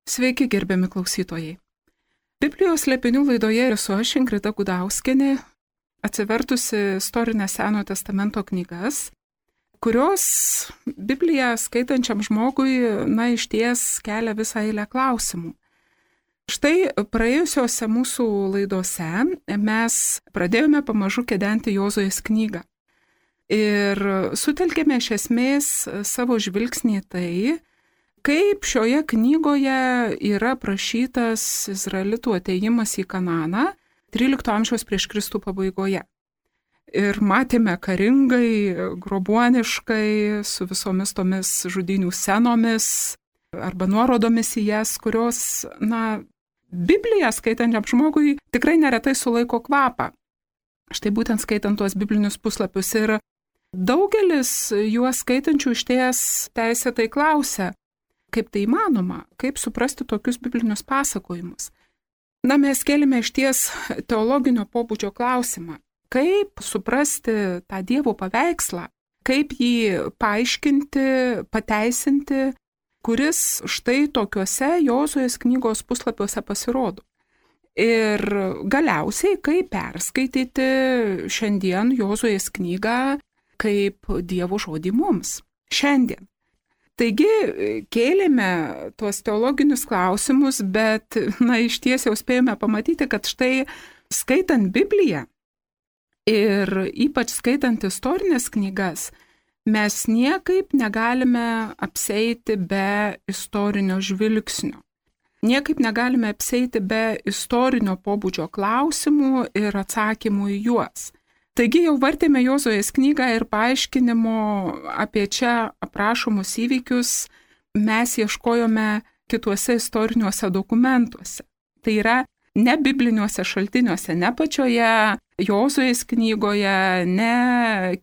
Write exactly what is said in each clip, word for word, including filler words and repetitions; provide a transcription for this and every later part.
Sveiki, gerbiami klausytojai. Biblijos slėpinių laidoje esu aš, Ingrida Gudauskienė, atsivertusi istorinės Senojo testamento knygas, kurios Bibliją skaitančiam žmogui, na, išties kelia visą eilę klausimų. Štai praėjusiose mūsų laidose mes pradėjome pamažu kedenti Jozuės knygą. Ir sutelkėme iš esmės savo žvilgsnį tai, kaip šioje knygoje yra prašytas Izraelitų atėjimas į Kananą trylikto amžiaus prieš Kristų pabaigoje. Ir matėme karingai, grobuoniškai, su visomis tomis žudynių scenomis arba nuorodomis į jas, kurios, na, Bibliją skaitančiam žmogui tikrai neretai sulaiko kvapą. Štai būtent skaitant tuos biblinius puslapius ir daugelis juos skaitančių išties teisėtai klausia, kaip tai įmanoma, kaip suprasti tokius biblinius pasakojimus. Na, mes kėlėme išties teologinio pobūdžio klausimą, kaip suprasti tą Dievo paveikslą, kaip jį paaiškinti, pateisinti, kuris štai tokiuose Jozuės knygos puslapiuose pasirodo. Ir galiausiai, kaip perskaityti šiandien Jozuės knygą kaip Dievo žodį mums šiandien. Taigi kėlėme tuos teologinius klausimus, bet, na, iš ties jau spėjome pamatyti, kad štai skaitant Bibliją ir ypač skaitant istorinės knygas, mes niekaip negalime apseiti be istorinio žvilgsnio. Niekaip negalime apseiti be istorinio pobūdžio klausimų ir atsakymų į juos. Taigi jau vartėme Jozuės knygą ir paaiškinimo apie čia aprašomus įvykius mes ieškojome kituose istoriniuose dokumentuose. Tai yra ne bibliniuose šaltiniuose, ne pačioje Jozuės knygoje, ne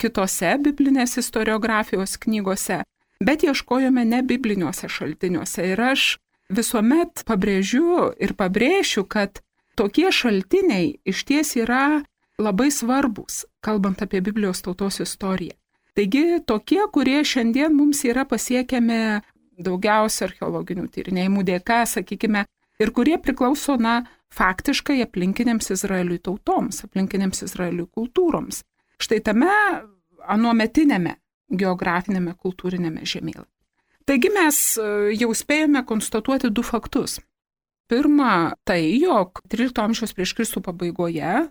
kitose biblinės istoriografijos knygose, bet ieškojome ne bibliniuose šaltiniuose. Ir aš visuomet pabrėžiu ir pabrėšiu, kad tokie šaltiniai išties yra labai svarbus, kalbant apie Biblijos tautos istoriją. Taigi tokie, kurie šiandien mums yra pasiekiami daugiausia archeologinių tyrinėjimų dėka, sakykime, ir kurie priklauso, na, faktiškai aplinkinėms Izraeliui tautoms, aplinkinėms Izraeliui kultūroms. Štai tame anuometinėme geografinėme kultūrinėme žemėlapyje. Taigi mes jau spėjome konstatuoti du faktus. Pirma, tai, jog trylikto amžiaus prieš Kristų pabaigoje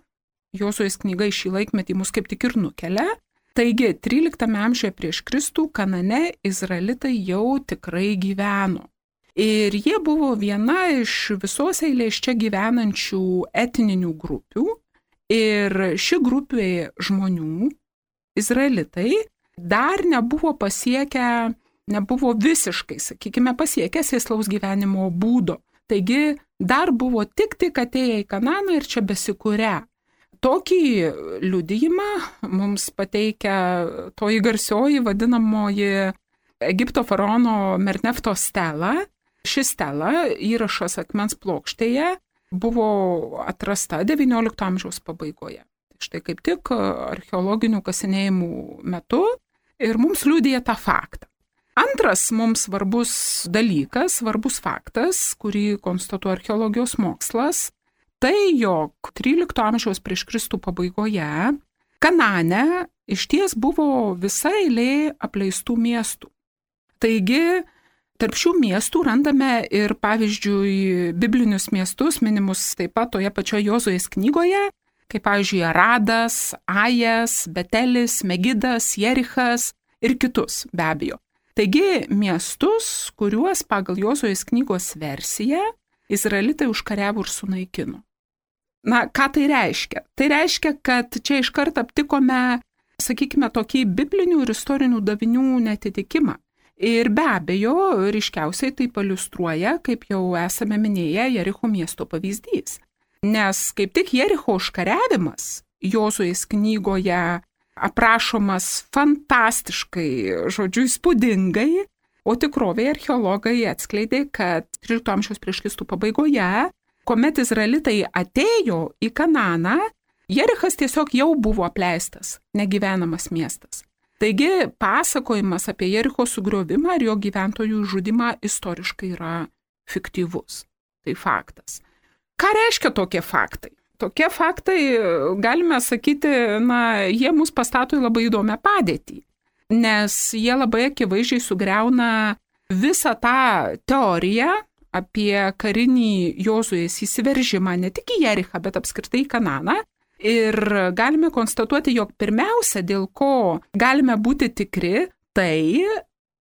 Jozuės knyga į šį laikmetį mus kaip tik ir nukelia. Taigi, tryliktame amžiuje prieš Kristų Kanane izraelitai jau tikrai gyveno. Ir jie buvo viena iš visos eilės čia gyvenančių etninių grupių. Ir ši grupė žmonių, izraelitai, dar nebuvo pasiekę, nebuvo visiškai, sakykime, pasiekę sėslaus gyvenimo būdo. Taigi, dar buvo tik tik atėję į Kananą ir čia besikūrę. Tokį liudijimą mums pateikia toji garsioji vadinamoji Egipto faraono Mernefto stela. Ši stela, įrašas akmens plokštėje, buvo atrasta devyniolikto amžiaus pabaigoje. Štai kaip tik archeologinių kasinėjimų metu ir mums liudija tą faktą. Antras mums svarbus dalykas, svarbus faktas, kurį konstatuoja archeologijos mokslas, tai, jog trylikto amžiaus prieš Kristų pabaigoje Kanane išties buvo visa eilė apleistų miestų. Taigi, tarp šių miestų randame ir, pavyzdžiui, biblinius miestus, minimus taip pat toje pačioje Jozuės knygoje, kaip, pavyzdžiui, Aradas, Ajas, Betelis, Megidas, Jerichas ir kitus, be abejo. Taigi, miestus, kuriuos pagal Jozuės knygos versiją izraelitai užkariavo ir sunaikino. Na, ką tai reiškia? Tai reiškia, kad čia iškart aptikome, sakykime, tokį biblinių ir istorinių davinių netitikimą. Ir be abejo, ryškiausiai tai paliustruoja, kaip jau esame minėję, Jericho miesto pavyzdys. Nes kaip tik Jericho užkariavimas Jozuės knygoje aprašomas fantastiškai, žodžiu, įspūdingai, o tikrovėje archeologai atskleidė, kad trylikto amžiaus prieš Kristų pabaigoje, kuomet izraelitai atėjo į Kananą, Jerichas tiesiog jau buvo apleistas, negyvenamas miestas. Taigi pasakojimas apie Jericho sugriovimą ir jo gyventojų žudimą istoriškai yra fiktyvus. Tai faktas. Ką reiškia tokie faktai? Tokie faktai, galime sakyti, na, jie mus pastato į labai įdomią padėtį, nes jie labai akivaizdžiai sugriauna visą tą teoriją apie karinį Jozuės įsiveržimą ne tik į Jerichą, bet apskritai į Kananą. Ir galime konstatuoti, jog pirmiausia, dėl ko galime būti tikri, tai,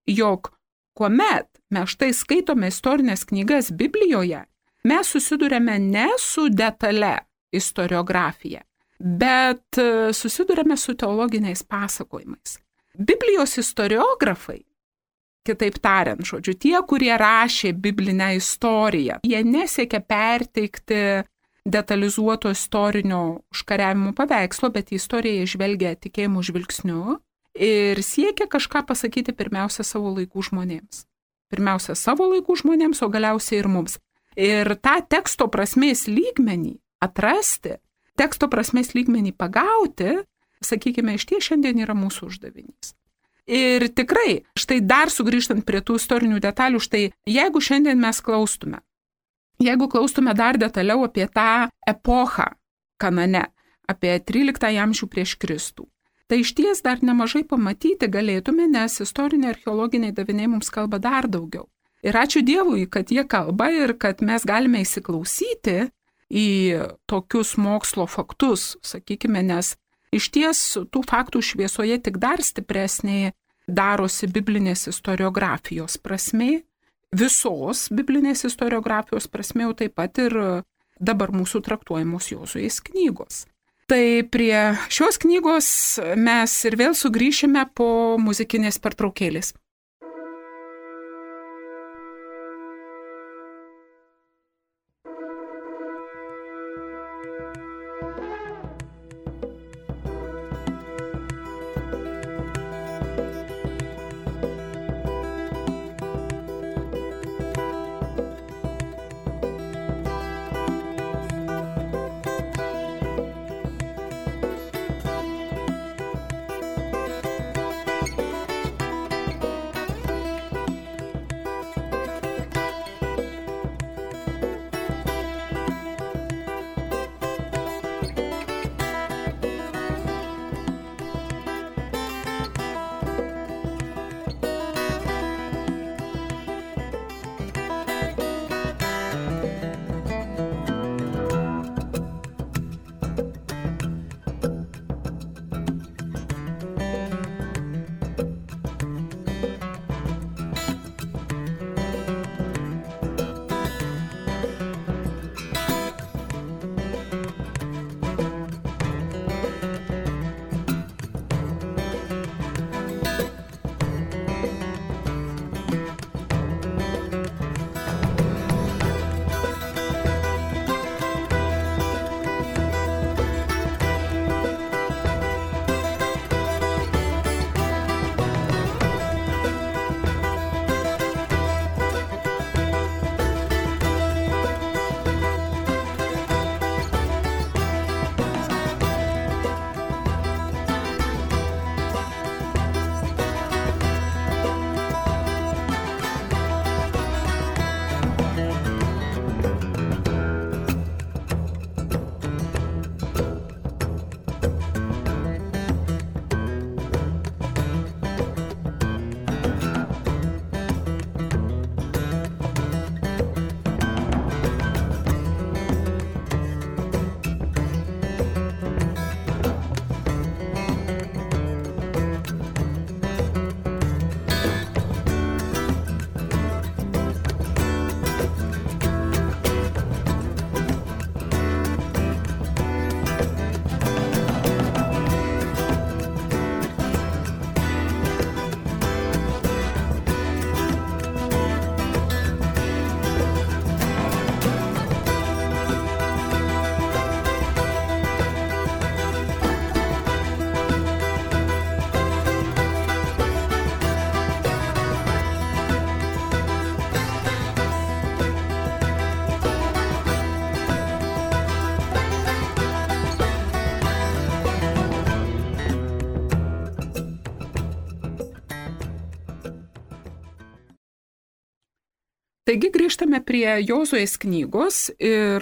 jog kuomet mes štai skaitome istorinės knygas Biblijoje, mes susidurėme ne su detale istoriografija, bet susidurėme su teologiniais pasakojimais. Biblijos istoriografai, kitaip tariant, žodžiu, tie, kurie rašė biblinę istoriją, jie nesiekia perteikti detalizuoto istorinio užkariavimo paveikslo, bet į istoriją žvelgia tikėjimo žvilgsniu ir siekia kažką pasakyti pirmiausia savo laikų žmonėms. Pirmiausia savo laikų žmonėms, o galiausiai ir mums. Ir tą teksto prasmės lygmenį atrasti, teksto prasmės lygmenį pagauti, sakykime, iš ties šiandien yra mūsų uždavinys. Ir tikrai, štai dar sugrįžtant prie tų istorinių detalių, štai jeigu šiandien mes klaustume, jeigu klaustume dar detaliau apie tą epochą Kanane, apie tryliktąjį amžių prieš Kristų, tai iš ties dar nemažai pamatyti galėtume, nes istoriniai archeologiniai daviniai mums kalba dar daugiau. Ir ačiū Dievui, kad jie kalba ir kad mes galime įsiklausyti į tokius mokslo faktus, sakykime, nes iš ties tų faktų šviesoje tik dar stipresnė darosi biblinės istoriografijos prasmė, visos biblinės istoriografijos prasmė, o taip pat ir dabar mūsų traktuojamos Jozuės knygos. Tai prie šios knygos mes ir vėl sugrįšime po muzikinės pertraukėlės. Taigi grįžtame prie Jozuės knygos ir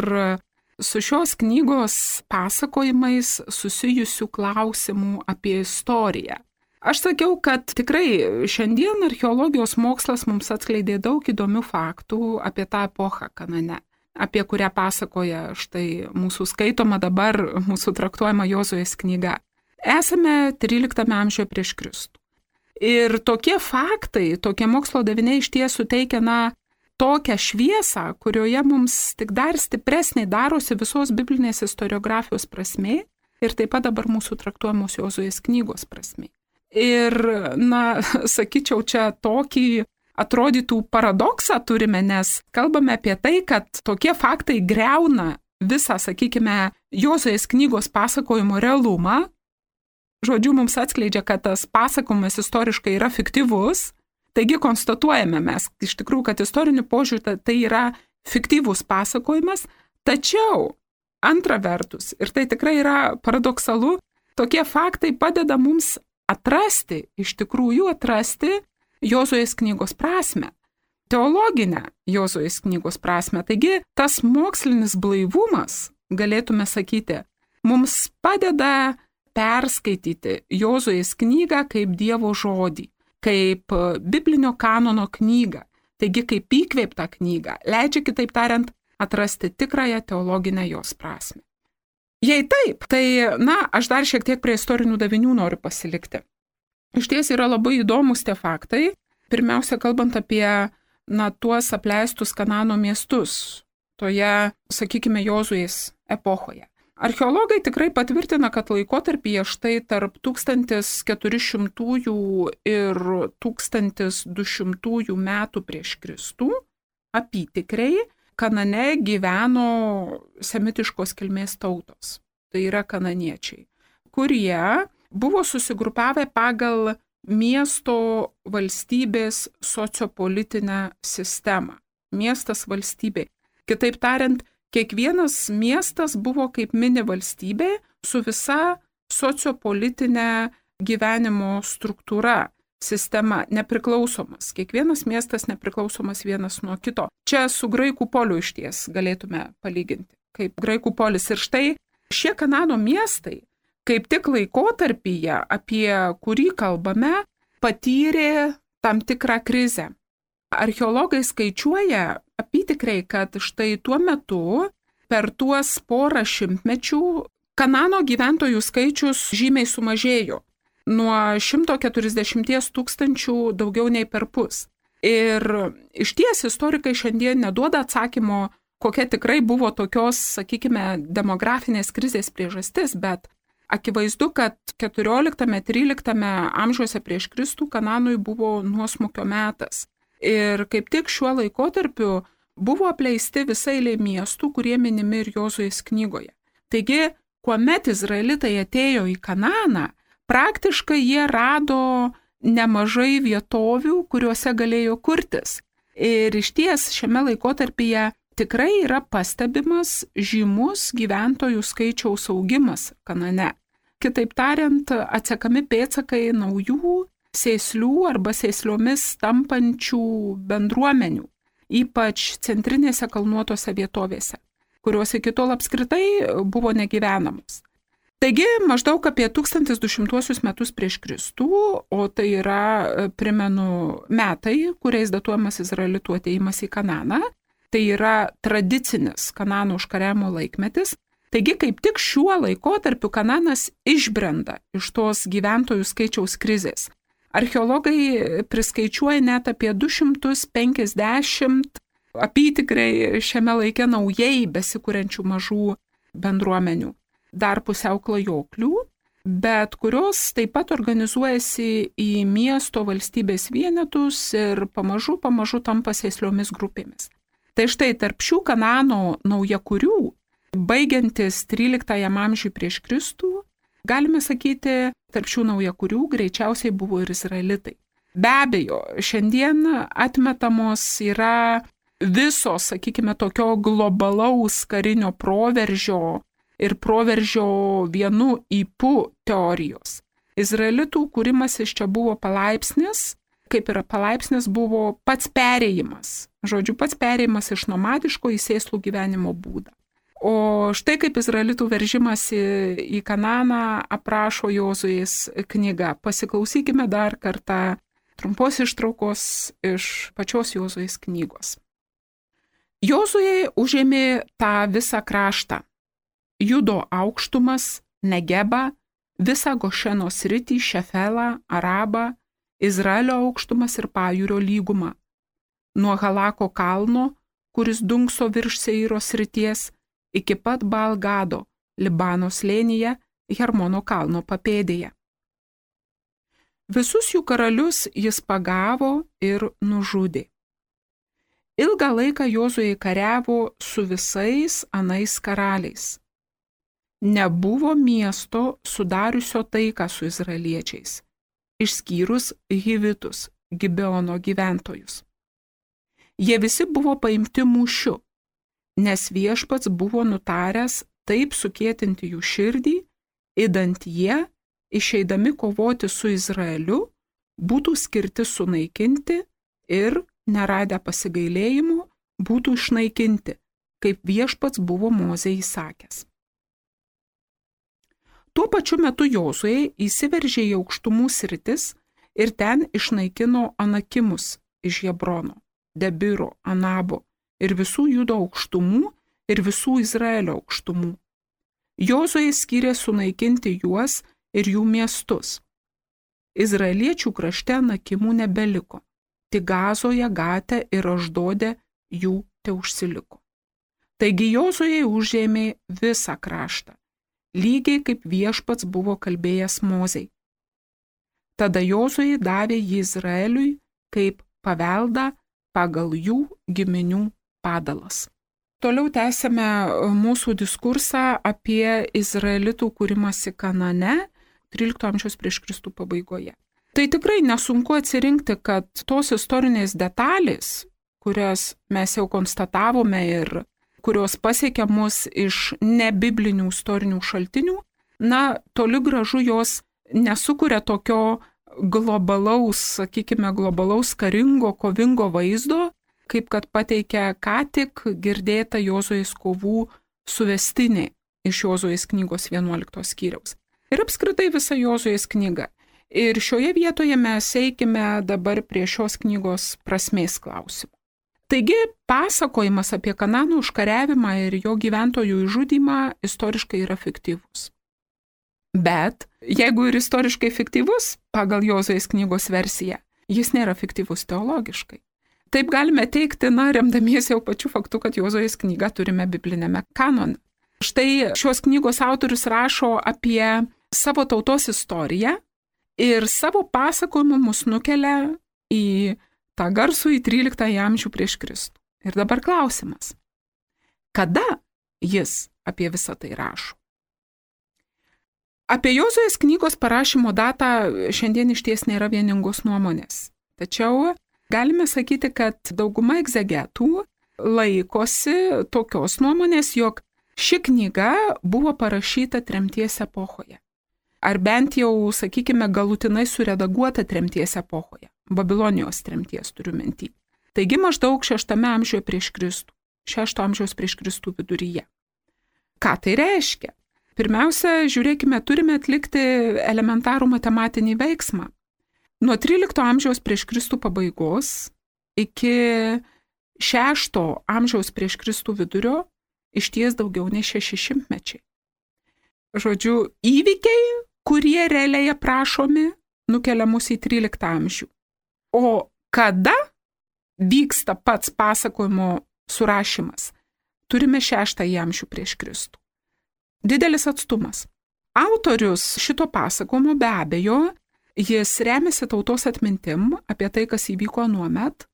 su šios knygos pasakojimais susijusių klausimų apie istoriją. Aš sakiau, kad tikrai šiandien archeologijos mokslas mums atskleidė daug įdomių faktų apie tą epochą Kanane, apie kurią pasakoja štai mūsų skaitoma dabar, mūsų traktuojama Jozuės knyga. Esame tryliktame amžiuje prieš Kristų. Ir tokie faktai, tokie mokslo daviniai iš tiesų suteikia, na, tokią šviesą, kurioje mums tik dar stipresnė darosi visos biblinės istoriografijos prasmė ir taip pat dabar mūsų traktuojamos Jozuės knygos prasmė. Ir, na, sakyčiau, čia tokį atrodytų paradoksą turime, nes kalbame apie tai, kad tokie faktai greuna visą, sakykime, Jozuės knygos pasakojimo realumą. Žodžiu, mums atskleidžia, kad tas pasakojimas istoriškai yra fiktyvus. Taigi konstatuojame mes iš tikrųjų, kad istoriniu požiūriu tai yra fiktyvus pasakojimas, tačiau antra vertus, ir tai tikrai yra paradoksalu, tokie faktai padeda mums atrasti, iš tikrųjų atrasti Jozuės knygos prasmę, teologinę Jozuės knygos prasmę. Taigi tas mokslinis blaivumas, galėtume sakyti, mums padeda perskaityti Jozuės knygą kaip Dievo žodį, kaip biblinio kanono knygą, taigi kaip įkvėptą knygą, leidžia, kitaip tariant, atrasti tikrąją teologinę jos prasmę. Jei taip, tai, na, aš dar šiek tiek prie istorinių davinių noriu pasilikti. Iš ties yra labai įdomus tie faktai, pirmiausia, kalbant apie, na, tuos apleistus Kanano miestus, toje, sakykime, Jozuės epochoje. Archeologai tikrai patvirtina, kad laikotarpyje štai tarp tūkstantis keturi šimtųjų ir tūkstantis du šimtųjų metų prieš Kristų apytikriai Kanane gyveno semitiškos kilmės tautos, tai yra kananiečiai, kurie buvo susigrupavę pagal miesto valstybės sociopolitinę sistemą. Miestas valstybė. Kitaip tariant, kiekvienas miestas buvo kaip mini valstybė su visa sociopolitinė gyvenimo struktūra, sistema, nepriklausomas. Kiekvienas miestas nepriklausomas vienas nuo kito. Čia su graikų poliu išties galėtume palyginti, kaip graikų polis. Ir štai šie Kanano miestai, kaip tik laikotarpyje, apie kurį kalbame, patyrė tam tikrą krizę. Archeologai skaičiuoja apytikriai, kad štai tuo metu per tuos porą šimtmečių Kanano gyventojų skaičius žymiai sumažėjo. Nuo šimto keturiasdešimties tūkstančių daugiau nei per pus. Ir iš ties istorikai šiandien neduoda atsakymo, kokia tikrai buvo tokios, sakykime, demografinės krizės priežastis, bet akivaizdu, kad keturioliktame tryliktame amžiuose prieš Kristų Kananui buvo nuosmukio metas. Ir kaip tik šiuo laikotarpiu buvo apleisti visai eilė miestų, kurie minimi ir Jozuės knygoje. Taigi, kuomet izraelitai atėjo į Kananą, praktiškai jie rado nemažai vietovių, kuriuose galėjo kurtis. Ir išties šiame laikotarpyje tikrai yra pastebimas žymus gyventojų skaičiaus augimas Kanane. Kitaip tariant, atsekami pėdsakai naujų sėslių arba sėsliomis tampančių bendruomenių, ypač centrinėse kalnuotose vietovėse, kurios iki tol apskritai buvo negyvenamos. Taigi maždaug apie tūkstantis du šimtuosius metus prieš Kristų, o tai yra, primenu, metai, kuriais datuojamas izraelitų atėjimas į Kananą, tai yra tradicinis Kanano užkariavimo laikmetis. Taigi kaip tik šiuo laikotarpiu Kananas išbrenda iš tos gyventojų skaičiaus krizės. Archeologai priskaičiuoja net apie du šimtus penkiasdešimt apytikriai šiame laike naujai besikuriančių mažų bendruomenių, dar pusiau klajoklių, bet kurios taip pat organizuojasi į miesto valstybės vienetus ir pamažu, pamažu tampa sėsliomis grupėmis. Tai štai tarp šių Kanano naujakurių, baigiantis tryliktajam amžiui prieš Kristų, galime sakyti, tarp šių naujakurių greičiausiai buvo ir izraelitai. Be abejo, šiandien atmetamos yra visos, sakykime, tokio globalaus karinio proveržio ir proveržio vienu ypu teorijos. Izraelitų kūrimas iš čia buvo palaipsnis, kaip ir palaipsnis, buvo pats perėjimas. Žodžiu, pats perėjimas iš nomadiško į sėslų gyvenimo būdą. O štai kaip izraelitų veržimasi į Kananą aprašo Jozuės knyga. Pasiklausykime dar kartą trumpos ištraukos iš pačios Jozuės knygos. Jozuė užėmė tą visą kraštą. Judo aukštumas, Negebą, visą Gošeno sritį, Šefelą, Arabą, Izraelio aukštumas ir Pajūrio lygumą. Nuo Halako kalno, kuris dunkso virš Seiro srities, iki pat Baal-Gado, Libano slėnyje, Hermono kalno papėdėje. Visus jų karalius jis pagavo ir nužudė. Ilgą laiką Jozuė kariavo su visais anais karaliais. Nebuvo miesto sudariusio taiką su izraeliečiais, išskyrus Hivitus, Gibeono gyventojus. Jie visi buvo paimti mūšiu, nes viešpats buvo nutaręs taip sukėtinti jų širdį, idant jie, išeidami kovoti su Izraeliu, būtų skirti sunaikinti ir, neradę pasigailėjimų, būtų išnaikinti, kaip viešpats buvo Mozei įsakęs. Tuo pačiu metu Jozuė įsiveržė į aukštumų sritis ir ten išnaikino Anakimus iš Hebrono, Debiro, Anabo ir visų Judo aukštumų ir visų Izraelio aukštumų. Jozuė skyrė sunaikinti juos ir jų miestus. Izraeliečių krašte Anakimų nebeliko, tik Gazoje, Gate ir Aždode jų teužsiliko. Taigi Jozuė užėmė visą kraštą, lygiai kaip viešpats buvo kalbėjęs Mozei. Tada Jozuė davė jį Izraeliui kaip paveldą pagal jų giminių padalas. Toliau tęsime mūsų diskursą apie izraelitų kūrimąsi Kanane trylikto amžiaus prieš Kristų pabaigoje. Tai tikrai nesunku atsirinkti, kad tos istorinės detalės, kurias mes jau konstatavome ir kurios pasiekia mus iš nebiblinių istorinių šaltinių, na, toli gražu jos nesukuria tokio globalaus, sakykime, globalaus karingo, kovingo vaizdo, kaip kad pateikia ką tik girdėta Jozuės kovų suvestinė iš Jozuės knygos vienuoliktos skyriaus. Ir apskritai visa Jozuės knyga. Ir šioje vietoje mes eikime dabar prie šios knygos prasmės klausimų. Taigi, pasakojimas apie Kanano užkariavimą ir jo gyventojų išžudymą istoriškai yra fiktyvus. Bet, jeigu ir istoriškai fiktyvus, pagal Jozuės knygos versiją, jis nėra fiktyvus teologiškai. Taip galime teikti, na, remdamiesi jau pačiu faktu, kad Jozuės knygą turime biblinėme kanone. Štai šios knygos autorius rašo apie savo tautos istoriją ir savo pasakojimu mus nukelia į tą garsų į tryliktąjį amžių prieš Kristų. Ir dabar klausimas. Kada jis apie visą tai rašo? Apie Jozuės knygos parašymo datą šiandien išties nėra vieningos nuomonės. Tačiau galime sakyti, kad dauguma egzegetų laikosi tokios nuomonės, jog ši knyga buvo parašyta tremties epochoje. Ar bent jau, sakykime, galutinai suredaguota tremties epochoje. Babilonijos tremties turiu minty. Taigi maždaug šeštame amžiuje prieš Kristų, šešto amžiaus prieš Kristų viduryje. Ką tai reiškia? Pirmiausia, žiūrėkime, turime atlikti elementarų matematinį veiksmą. Nuo trylikto amžiaus prieš Kristų pabaigos iki šešto amžiaus prieš Kristų vidurio išties daugiau nei šeši šimtmečiai. Žodžiu, įvykiai, kurie realiai aprašomi, nukelia mus į tryliktą amžių. O kada vyksta pats pasakojimo surašymas? Turime šeštąjį amžių prieš Kristų. Didelis atstumas. Autorius šito pasakojimo be abejo, jis remiasi tautos atmintim apie tai, kas įvyko anuomet,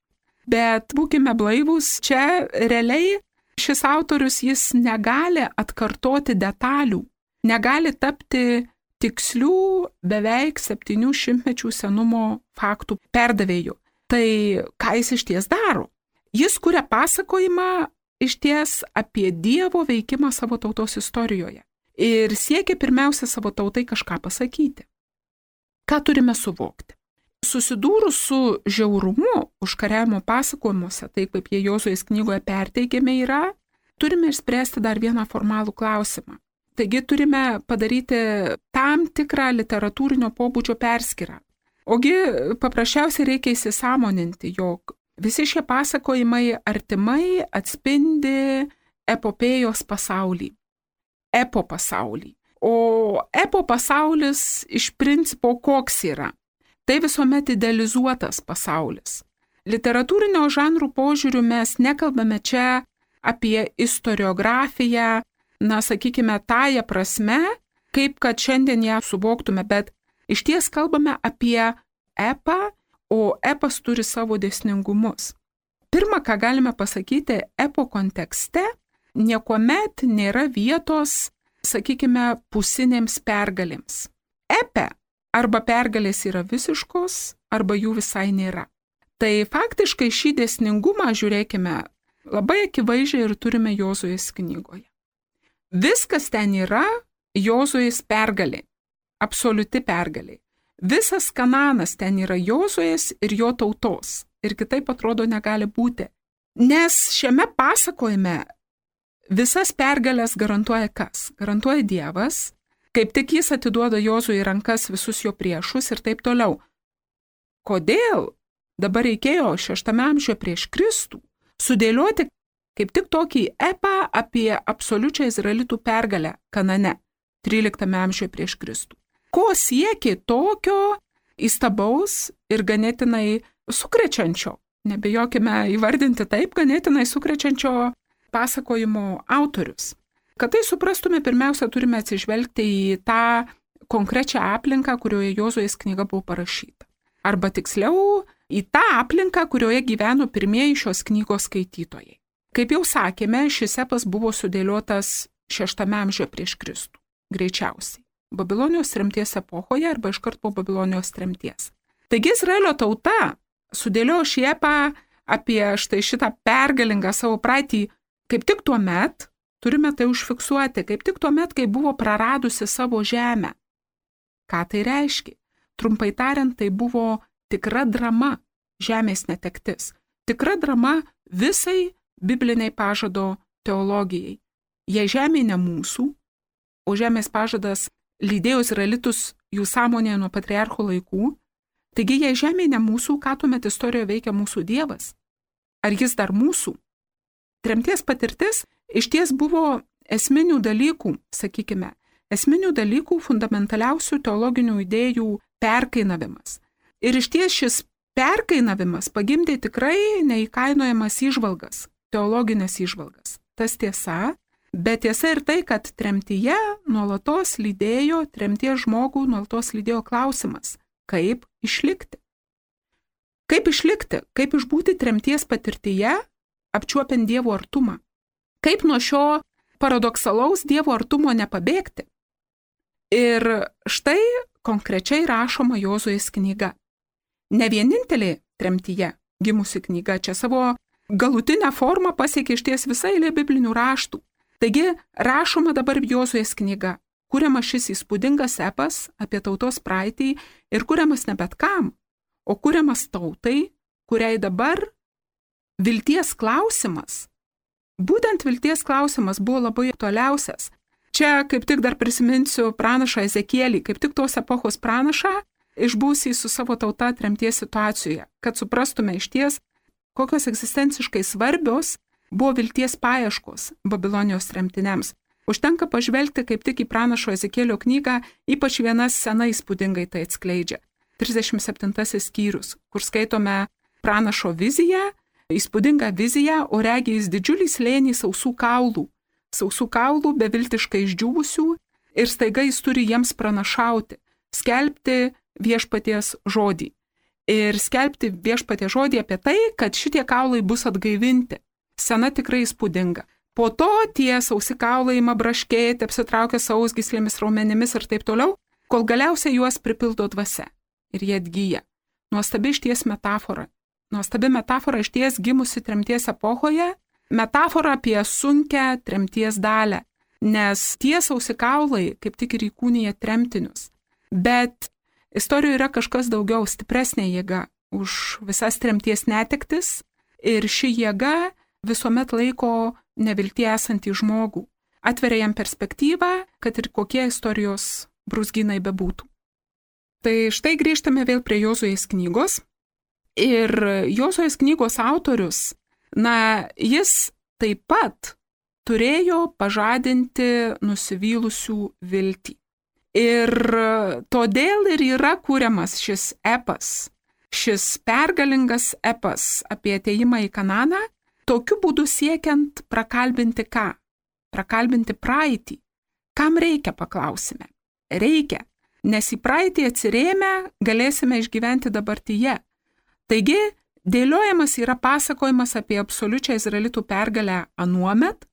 bet būkime blaivūs, čia realiai šis autorius jis negali atkartoti detalių, negali tapti tikslių beveik septynių šimtmečių senumo faktų perdavėjų. Tai ką jis išties daro? Jis kuria pasakojimą išties apie Dievo veikimą savo tautos istorijoje ir siekia pirmiausia savo tautai kažką pasakyti. Ką turime suvokti? susidūrus su žiaurumu užkariavimo pasakojimuose, taip kaip jie Jozuės knygoje perteikiami yra, turime išspręsti dar vieną formalų klausimą. Taigi turime padaryti tam tikrą literatūrinio pobūdžio perskyrą. Ogi paprasčiausiai reikia įsisąmoninti, jog visi šie pasakojimai artimai atspindi epopėjos pasaulį, epo pasaulį. O epo pasaulis iš principo koks yra? Tai visuomet idealizuotas pasaulis. Literatūrinio žanrų požiūrių mes nekalbame čia apie istoriografiją, na, sakykime, tąją prasme, kaip kad šiandien ją suvoktume, bet iš ties kalbame apie epą, o epas turi savo dėsningumus. Pirma, ką galime pasakyti, epo kontekste niekuomet nėra vietos, sakykime, pusinėms pergalėms. Epe arba pergalės yra visiškos, arba jų visai nėra. Tai faktiškai šį dėsningumą, žiūrėkime, labai akivaizdžiai ir turime Jozuės knygoje. Viskas ten yra Jozuės pergalė, absoliuti pergalė. Visas Kananas ten yra Jozuės ir jo tautos. Ir kitaip atrodo negali būti. Nes šiame pasakojime visas pergalės garantuoja kas? Garantuoja Dievas, kaip tik jis atiduoda Jozuui į rankas visus jo priešus ir taip toliau. Kodėl dabar reikėjo šeštame amžiuje prieš Kristų sudėlioti kaip tik tokį epą apie absoliučią izraelitų pergalę Kanane, tryliktame amžiuje prieš Kristų? Ko siekė tokio įstabaus ir ganėtinai sukrečiančio, nebijokime įvardinti taip, ganėtinai sukrečiančio pasakojimo autorius? Kad tai suprastume, pirmiausia, turime atsižvelgti į tą konkrečią aplinką, kurioje Jozuės knyga buvo parašyta. Arba tiksliau, į tą aplinką, kurioje gyveno pirmieji šios knygos skaitytojai. Kaip jau sakėme, šis epas buvo sudėliotas šeštame amžiuje prieš Kristų, greičiausiai. Babilonijos tremties epochoje arba iškart po Babilonijos tremties. Taigi Izraelio tauta sudėliojo šį epą apie štai šitą pergalingą savo praeitį kaip tik tuo met, turime tai užfiksuoti, kaip tik tuo met, kai buvo praradusi savo žemę. Ką tai reiškia? Trumpai tariant, tai buvo tikra drama, žemės netektis. Tikra drama visai bibliniai pažado teologijai. Jei žemė ne mūsų, o žemės pažadas lydėjo izraelitus jų sąmonėje nuo patriarchų laikų, taigi jei žemė ne mūsų, ką tuomet istorijoje veikia mūsų Dievas? Ar jis dar mūsų? Tremties patirtis iš ties buvo esminių dalykų, sakykime, esminių dalykų fundamentaliausių teologinių idėjų perkainavimas. Ir iš ties šis perkainavimas pagimdė tikrai neįkainojamas įžvalgas, teologinės įžvalgas. Tas tiesa, bet tiesa ir tai, kad tremtyje nuolatos lydėjo, tremties žmogų nuolatos lydėjo klausimas, kaip išlikti. Kaip išlikti, kaip išbūti tremties patirtyje, apčiuopiant Dievo artumą. Kaip nuo šio paradoksalaus Dievo artumo nepabėgti. Ir štai konkrečiai rašoma Jozuės knyga. Ne vienintelė tremtyje gimusi knyga, čia savo galutinę formą pasiekė išties visai eilė biblinių raštų. Taigi rašoma dabar Jozuės knyga, kuriamas šis įspūdingas epas apie tautos praeitį ir kuriamas ne bet kam, o kuriamas tautai, kuriai dabar vilties klausimas, būtent vilties klausimas buvo labai toliausias. Čia kaip tik dar prisiminsiu pranašą Ezekielį, kaip tik tos epochos pranašą, išbūsį su savo tauta tremties situacijoje, kad suprastume iš ties, kokios egzistenciškai svarbios buvo vilties paieškos Babilonijos tremtiniams. Užtenka pažvelgti kaip tik į pranašo Ezekėlio knygą, ypač viena scena įspūdingai tai atskleidžia. trisdešimt septintasis skyrius, kur skaitome pranašo viziją, įspūdingą viziją, o regi jis didžiulį slėnį sausų kaulų, sausų kaulų beviltiškai išdžiūvusių ir staiga jis turi jiems pranašauti, skelbti viešpaties žodį. Ir skelbti viešpaties žodį apie tai, kad šitie kaulai bus atgaivinti. Scena tikrai įspūdinga. Po to tie sausi kaulai ima braškėti, apsitraukia sausgyslėmis, raumenimis ir taip toliau, kol galiausiai juos pripildo dvasia. Ir jie atgyja. Nuostabi išties metafora. Nuostabi metafora išties gimusi tremties epochoje, metafora apie sunkę tremties dalę, nes tie sausi kaulai kaip tik ir įkūnija tremtinius. Bet Istorijoje yra kažkas daugiau, stipresnė jėga už visas tremties netektis ir ši jėga visuomet laiko neviltie esantį žmogų, atveria jam perspektyvą, kad ir kokie istorijos brūzgynai bebūtų. Tai štai grįžtame vėl prie Jozuės knygos ir Jozuės knygos autorius, na, jis taip pat turėjo pažadinti nusivylusių viltį. Ir todėl ir yra kūriamas šis epas, šis pergalingas epas apie atėjimą į Kananą, tokiu būdu siekiant prakalbinti ką? Prakalbinti praeitį. Kam reikia, paklausime? Reikia, nes į praeitį atsirėmę galėsime išgyventi dabartyje. Taigi, dėliojamas yra pasakojimas apie absoliučią izraelitų pergalę anuomet.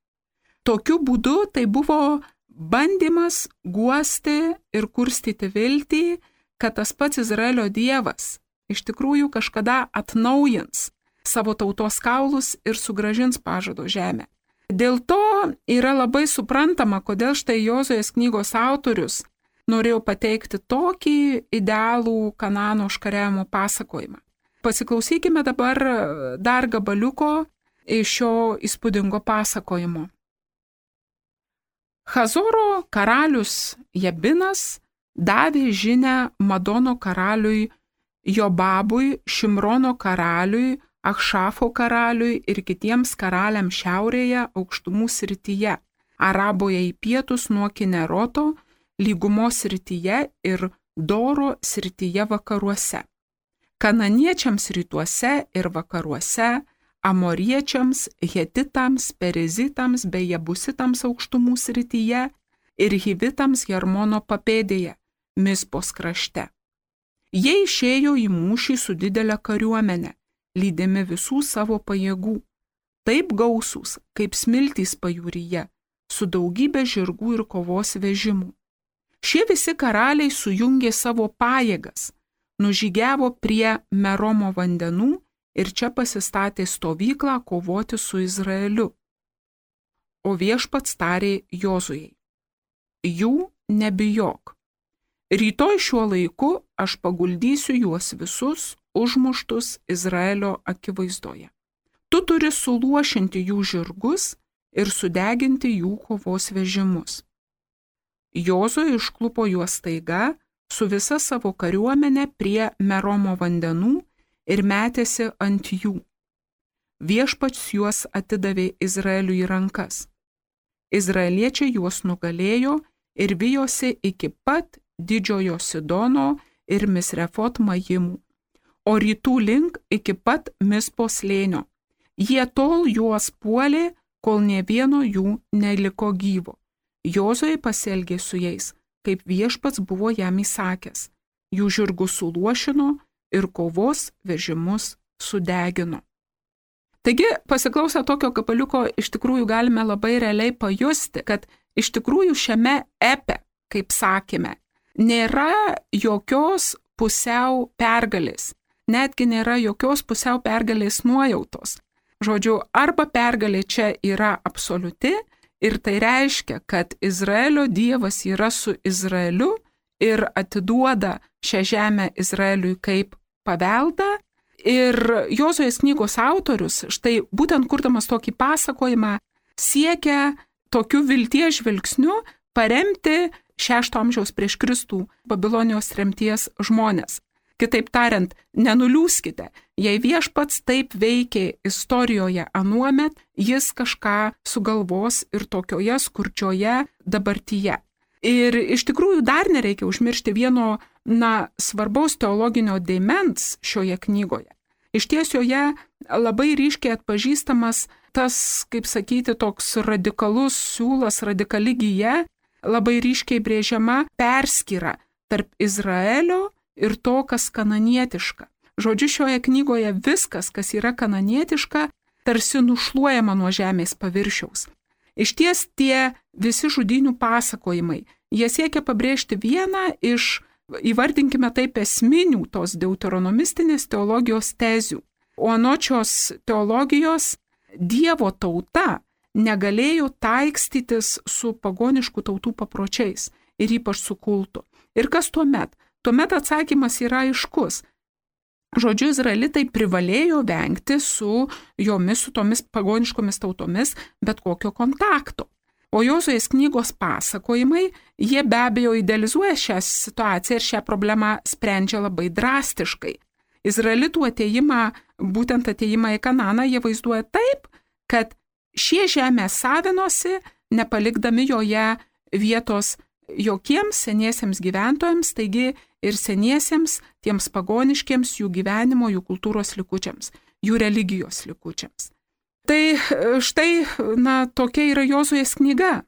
Tokiu būdu tai buvo bandymas guosti ir kurstyti viltį, kad tas pats Izraelio Dievas iš tikrųjų kažkada atnaujins savo tautos kaulus ir sugrąžins pažado žemę. Dėl to yra labai suprantama, kodėl štai Jozuės knygos autorius norėjo pateikti tokį idealų Kanano užkariavimo pasakojimą. Pasiklausykime dabar dar gabaliuko iš šio įspūdingo pasakojimo. Hazoro karalius Jabinas davė žinią Madono karaliui Jobabui, Šimrono karaliui, Achšafo karaliui ir kitiems karaliams šiaurėje aukštumų srityje, Araboje į pietus nuo Kineroto, lygumos srityje ir Doro srityje vakaruose, kananiečiams rytuose ir vakaruose, amoriečiams, hetitams, perizitams bei jebusitams aukštumų srityje ir hivitams Jarmono papėdėje, Mispos krašte. Jie išėjo į mūšį su didelė kariuomenė, lydimi visų savo pajėgų, taip gausūs, kaip smiltys pajūryje, su daugybė žirgų ir kovos vežimų. Šie visi karaliai sujungė savo pajėgas, nužygiavo prie Meromo vandenų ir čia pasistatė stovyklą kovoti su Izraeliu. O viešpats tarė Jozujai: jų nebijok. Rytoj šiuo laiku aš paguldysiu juos visus užmuštus Izraelio akivaizdoje. Tu turi suluošinti jų žirgus ir sudeginti jų kovos vežimus. Jozuė išklupo juos staiga su visa savo kariuomenė prie Meromo vandenų ir metėsi ant jų. Viešpats juos atidavė Izraeliui į rankas. Izraeliečiai juos nugalėjo ir vijosi iki pat Didžiojo Sidono ir Misrefot Majimų, o rytų link iki pat Mispos slėnio. Jie tol juos puolė, kol nė vieno jų neliko gyvo. Jozuė pasielgė su jais, kaip viešpats buvo jam įsakęs. Jų žirgus suluošino ir kovos vežimus sudegino. Taigi, pasiklausę tokio gabaliuko, iš tikrųjų galime labai realiai pajusti, kad iš tikrųjų šiame epe, kaip sakėme, nėra jokios pusiau pergalės, netgi nėra jokios pusiau pergalės nuojautos. Žodžiu, arba pergalė čia yra absoliuti ir tai reiškia, kad Izraelio Dievas yra su Izraeliu ir atiduoda šią žemę Izraeliui kaip paveldą. Ir Jozuės knygos autorius, štai būtent kurdamas tokį pasakojimą, siekia tokiu vilties žvilgsniu paremti šešto amžiaus prieš Kristų Babilonijos tremties žmonės. Kitaip tariant, nenuliūskite, jei viešpats taip veikė istorijoje anuomet, jis kažką sugalvos ir tokioje skurdžioje dabartyje. Ir iš tikrųjų dar nereikia užmiršti vieno, na, svarbaus teologinio dėmens šioje knygoje. Iš ties joje labai ryškiai atpažįstamas tas, kaip sakyti, toks radikalus siūlas, radikali gija, labai ryškiai brėžiama perskyra tarp Izraelio ir to, kas kananietiška. Žodžiu, šioje knygoje viskas, kas yra kananietiška, tarsi nušluojama nuo žemės paviršiaus. Iš ties tie visi žudynių pasakojimai, jie siekia pabrėžti vieną iš, įvardinkime taip, esminių tos deuteronomistinės teologijos tezių. O anočios teologijos Dievo tauta negalėjo taikstytis su pagoniškų tautų papročiais ir ypač su kultu. Ir kas tuomet? tuomet atsakymas yra aiškus. Žodžiu, izraelitai privalėjo vengti su jomis, su tomis pagoniškomis tautomis, bet kokio kontakto. O Jozuės knygos pasakojimai, jie be abejo idealizuoja šią situaciją ir šią problemą sprendžia labai drastiškai. Izraelitų ateimą, būtent ateimą į Kananą, jie vaizduoja taip, kad šie žemė savinosi, nepalikdami joje vietos jokiems seniesiems gyventojams, taigi ir seniesiems, tiems pagoniškiams jų gyvenimo, jų kultūros likučiams, jų religijos likučiams. Tai štai, na, tokia yra Jozuės knyga,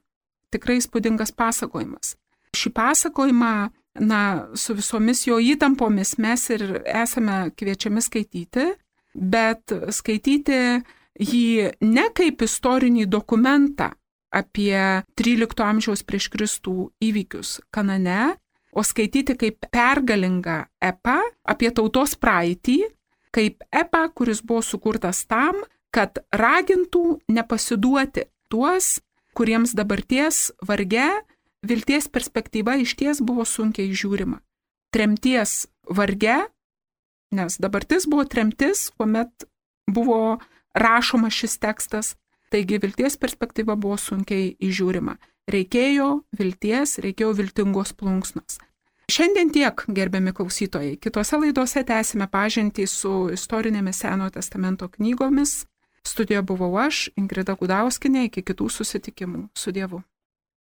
tikrai įspūdingas pasakojimas. Šį pasakojimą, na, su visomis jo įtampomis mes ir esame kviečiami skaityti, bet skaityti jį ne kaip istorinį dokumentą apie trylikto amžiaus prieš Kristų įvykius Kanane, o skaityti kaip pergalingą epą apie tautos praeitį, kaip epą, kuris buvo sukurtas tam, kad ragintų nepasiduoti tuos, kuriems dabarties varge vilties perspektyva išties buvo sunkiai žiūrima. Tremties varge, nes dabartis buvo tremtis, kuomet buvo rašoma šis tekstas, taigi vilties perspektyva buvo sunkiai įžiūrima. Reikėjo vilties, reikėjo viltingos plunksnos. Šiandien tiek, gerbiami klausytojai. Kitose laidose tęsime pažintį su istorinėmis Senojo testamento knygomis. Studijoje buvau aš, Ingrida Gudauskienė, iki kitų susitikimų. Su Dievu.